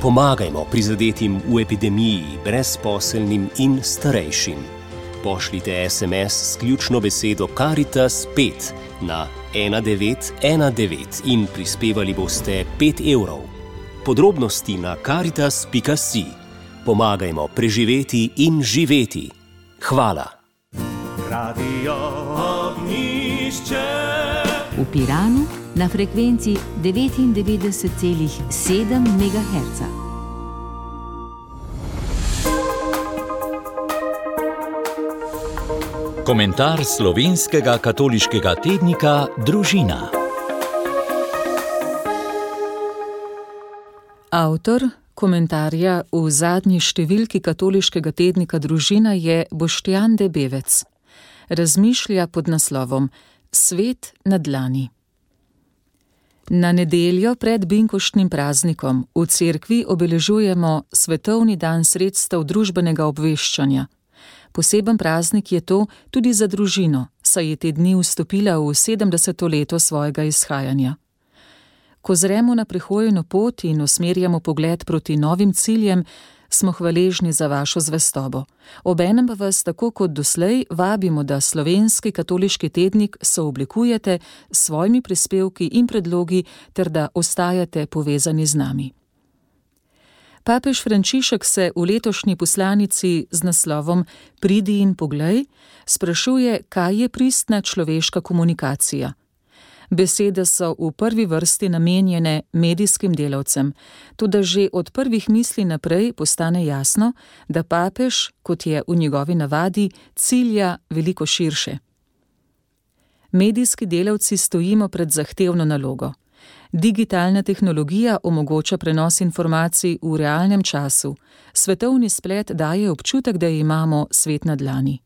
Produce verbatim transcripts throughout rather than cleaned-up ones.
Pomagajmo prizadetim v epidemiji, brezposelnim in starejšim. Pošljite es em es s ključno besedo Karitas pet na ena devet ena devet in prispevali boste pet evrov. Podrobnosti na karitas pika si. Pomagajmo preživeti in živeti. Hvala. Radio Ognjišče. V Piranu na frekvenci devetindevetdeset celih sedem megaherca. Komentar slovenskega katoliškega tednika Družina. Avtor komentarja v zadnji številki katoliškega tednika Družina je Boštjan Debevec. Razmišlja pod naslovom Svet na dlani. Na nedeljo pred binkoštnim praznikom v cerkvi obeležujemo Svetovni dan sredstev družbenega obveščanja. Poseben praznik je to tudi za družino, saj je te dni vstopila v sedemdeseto leto svojega izhajanja. Ko zremo na prehojeno pot in usmerjamo pogled proti novim ciljem, smo hvaležni za vašo zvestobo. Obenem pa vas tako kot doslej vabimo, da slovenski katoliški tednik sooblikujete s svojimi prispevki in predlogi ter da ostajate povezani z nami. Papež Frančišek se v letošnji poslanici z naslovom Pridi in poglej sprašuje, kaj je pristna človeška komunikacija. Besede so v prvi vrsti namenjene medijskim delavcem, toda že od prvih misli naprej postane jasno, da papež, kot je v njegovi navadi, cilja veliko širše. Medijski delavci stojimo pred zahtevno nalogo. Digitalna tehnologija omogoča prenos informacij v realnem času. Svetovni splet daje občutek, da imamo svet na dlani.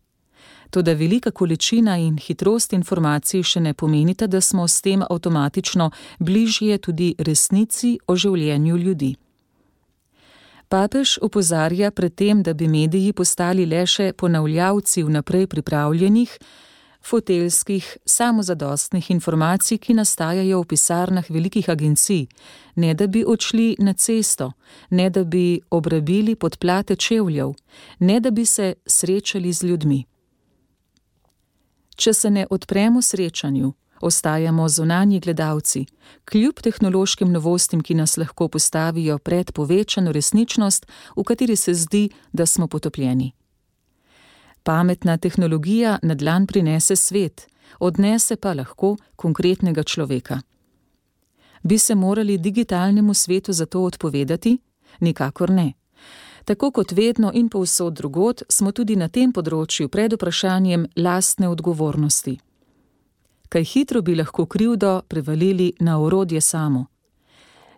Toda velika količina in hitrost informacij še ne pomenita, da smo s tem avtomatično bližje tudi resnici o življenju ljudi. Papež opozarja pred tem, da bi mediji postali le še ponavljavci vnaprej pripravljenih, foteljskih, samozadostnih informacij, ki nastajajo v pisarnah velikih agencij, ne da bi odšli na cesto, ne da bi obrabili podplate čevljev, ne da bi se srečali z ljudmi. Če se ne odpremo srečanju, ostajamo zunanji gledalci, kljub tehnološkim novostim, ki nas lahko postavijo pred povečano resničnost, v kateri se zdi, da smo potopljeni. Pametna tehnologija na dlan prinese svet, odnese pa lahko konkretnega človeka. Bi se morali digitalnemu svetu zato odpovedati? Nikakor ne. Tako kot vedno in povsod drugod, smo tudi na tem področju pred vprašanjem lastne odgovornosti. Kaj hitro bi lahko krivdo prevalili na orodje samo.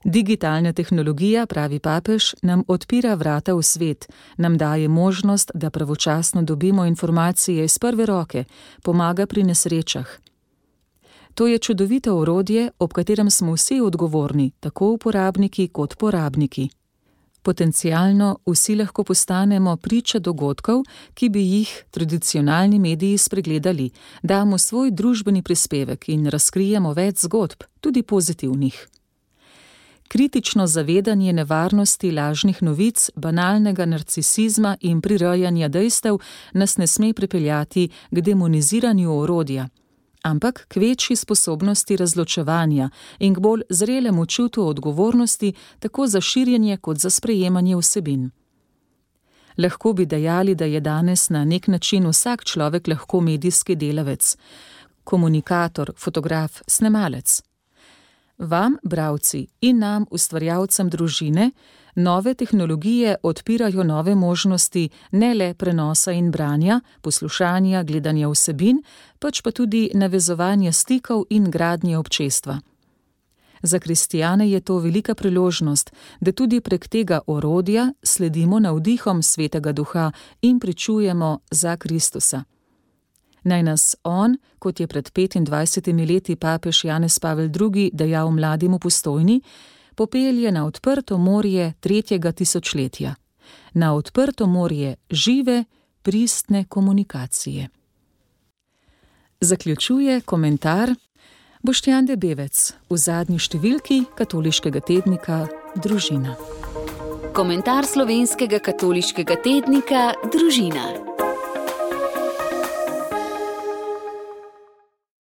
Digitalna tehnologija, pravi papež, nam odpira vrata v svet, nam daje možnost, da pravočasno dobimo informacije iz prve roke, pomaga pri nesrečah. To je čudovito orodje, ob katerem smo vsi odgovorni, tako uporabniki kot porabniki. Potencialno vsi lahko postanemo priča dogodkov, ki bi jih tradicionalni mediji spregledali, damo svoj družbeni prispevek in razkrijemo več zgodb, tudi pozitivnih. Kritično zavedanje nevarnosti lažnih novic, banalnega narcisizma in prirejanja dejstev nas ne sme pripeljati k demoniziranju orodja, ampak k večji sposobnosti razločevanja in k bolj zrelemu čutu odgovornosti tako za širjenje kot za sprejemanje vsebin. Lahko bi dejali, da je danes na nek način vsak človek lahko medijski delavec, komunikator, fotograf, snemalec. Vam, bralci, in nam, ustvarjalcem družine, nove tehnologije odpirajo nove možnosti ne le prenosa in branja, poslušanja, gledanja vsebin, pač pa tudi navezovanja stikov in gradnje občestva. Za kristijane je to velika priložnost, da tudi prek tega orodja sledimo navdihom Svetega Duha in pričujemo za Kristusa. Naj nas on, kot je pred petindvajsetimi leti papež Janez Pavel drugi dejal mladim v Postojni, popelje na odprto morje tretjega tisočletja, na odprto morje žive, pristne komunikacije. Zaključuje komentar Boštjan Debevec v zadnji številki katoliškega tednika Družina. Komentar slovenskega katoliškega tednika Družina.